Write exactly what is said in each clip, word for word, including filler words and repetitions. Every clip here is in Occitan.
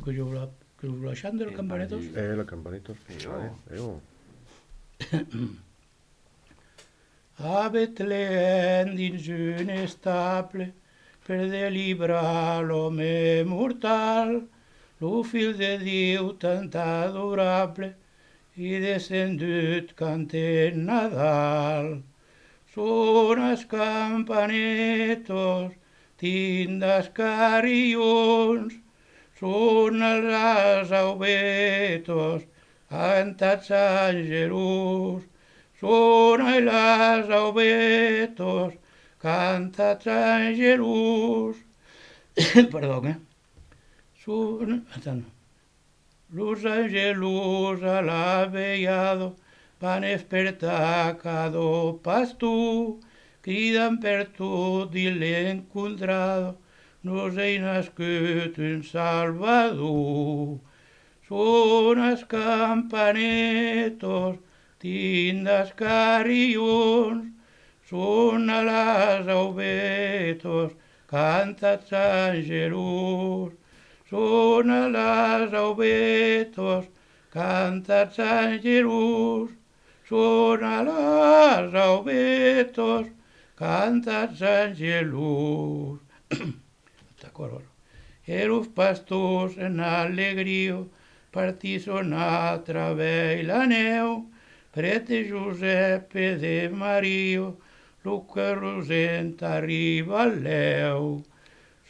Que jo la, que jo la chante, la campaneta? Eh, la campaneta. E ò. E ò. A Betlèm dins un estable, per delibrar l'òme mortal, lo Filh de Diu tant adorable, es descendut, cantem Nadal. Sonan las campanetas, tindan los carrilhons, sonan las aubetas, cantatz angelons, sonan las aubetas, cantatz angelons. Perdon, eh? Son... Attends. Los angelons a la velhada van espertar cada pastor, cridan pertot dins l'encontrada: nos es nascut un Salvador. Sonan las campanetas, tindan los carrilhons, sonan las aubetas, cantatz angelons. Sonan las aubetas, cantatz angelons. Sonan las aubetas, cantatz angelons. D'acòrd. E los pastors en alegria partisson a travèrs la nèu, près de Josèp e de Maria, lo còr rosent arriba lèu.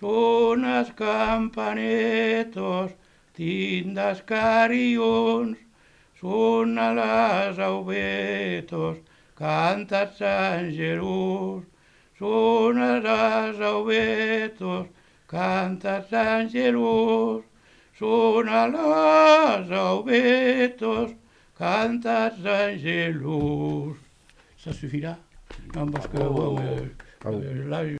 Sonan las campanetas, tindan los carrilhons, sonan las aubetas, cantatz angelons. Sonan las aubetas, cantatz angelons. Sonan las aubetas, cantatz angelons. Ça suffira? Non, parce que, bon, euh, euh, là,